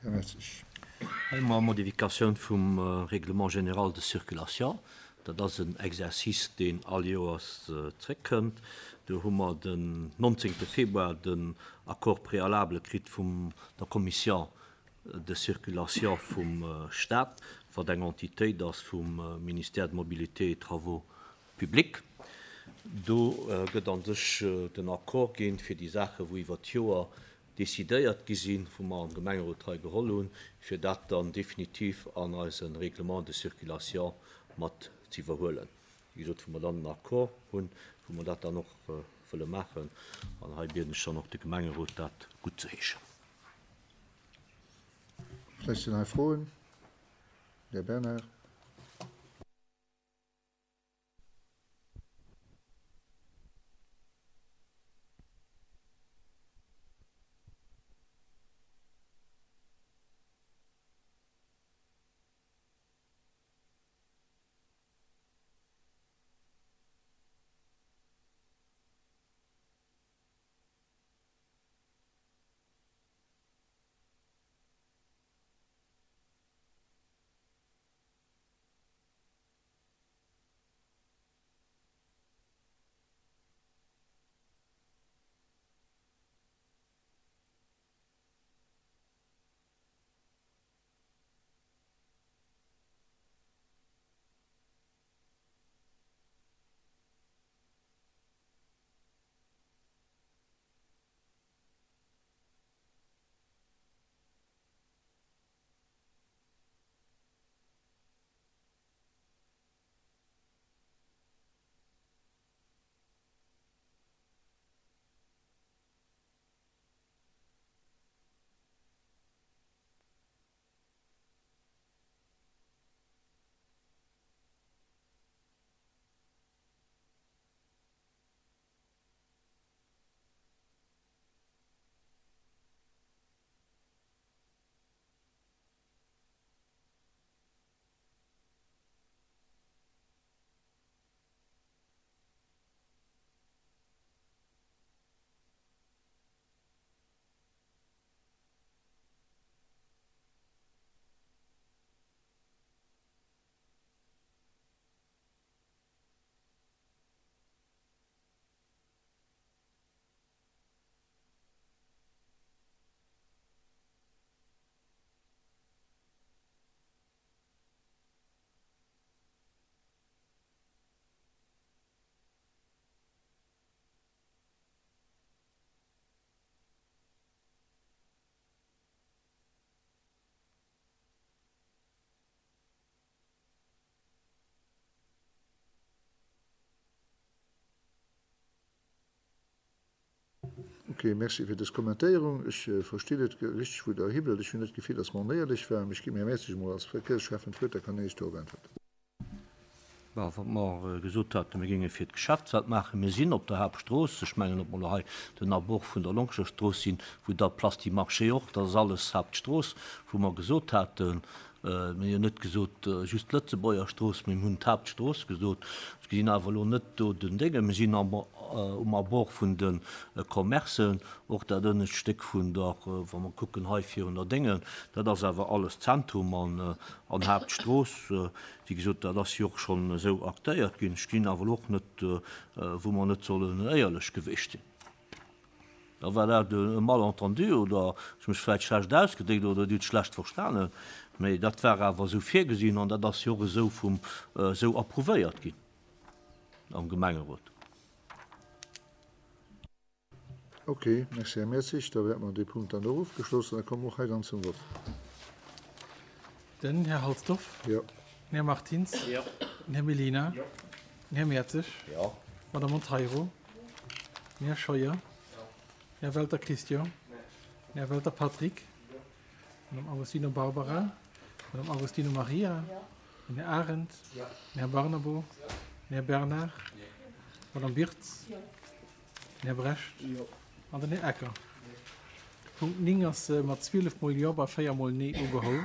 Här Mertzig. Hei hu mer Modifikatioun vum Règlement général de circulation. Dat ass en Exercice, deen all Joers zréckkënnt. Do hu mer den 19. Februar den Accord préalable kritt vum der Commission de circulation vum Stat, wat eng Entitéit ass vum Ministère de Mobilité et Travaux publics. Do gëtt a sech den Accord ginn, fir déi Saachen, wou iwwert d'Joer decidéiert gi sinn, wou mer am Gemengerot hei geholl hunn, fir dat dann definitiv an eise Règlement de circulation mat ze iwwerhuelen. Wéi gesot, wou mer dann den Accord hunn, wou mer dat dann och wëlle maachen. An hei bieden ech dann och de Gemengerot, dat guttzeheeschen. Vläicht sinn hei Froen? Här Bernard. Ok, merci fir dës Kommentéierung. Ech verstinn net richteg wou Der hiwëllt. Ech hunn net d'Gefill, datt mer onéierlech waren, mee ech ginn dem Här Mertzig emol als Verkéiersschäffen d'Wuert, da kann hien Iech dorop äntwerten. Bon, wat mer gesot haten, mir géinge fir d'Geschäftswelt maachen, mir sinn op der Haaptstrooss, ech mengen, ob mer elo hei den Abord vun der Longscher Strooss sinn, wou da Place du Marché och, dat ass alles Haaptstrooss, wou mer gesot haten, Mir hunn jo net gesot just d'Lëtzebuerger Strooss, mee mir hunn d'Haaptstrooss gesot. Ech gesinn awer elo net do den Déngen. Mir sinn um Abord vun de Commercen, och dat ënnescht Stéck vun der, wa mer kucken hei virun der Déngen, dat ass awer alles Zentrum an Haaptstrooss. Wéi gesot, dat ass jo och schonn esou aktéiert ginn. Ech gesinn awer elo och net, wou mer net sollen éierlech gewiescht sinn. Da war dat e Malentendu oder ech hu mech vläicht schlecht ausgedréckt oder Dir hutt schlecht verstanen, mä dat war awer esou virgesinn an dat ass jo och esou vum esou approuvéiert ginn am Gemengerot. Ok, merci Här Mertzig. Da wäerte mer dee Punkt dann och ofgeschloss an da komme mer och hei dann zum Vott. Den Här Halsdorf. Jo. Den Här Martins. Jo. Den Här Mellina. Jo. Den Här Mertzig. Jo. D'Madame Monteiro. Den Här Scheuer. Jo. Den Här Welter Christian. Den Här Welter Patrick. D'Madame Agostino Barbara. D'Madame Agostino Maria. Den Här Arendt. Den Här Barnabo. Den Här Bernard. D'Madame Birtz. Den Här Brecht. An den Här Ecker. De Punkt 9 ass mat 12 mol Jo bei 4 mol Nee ugeholl.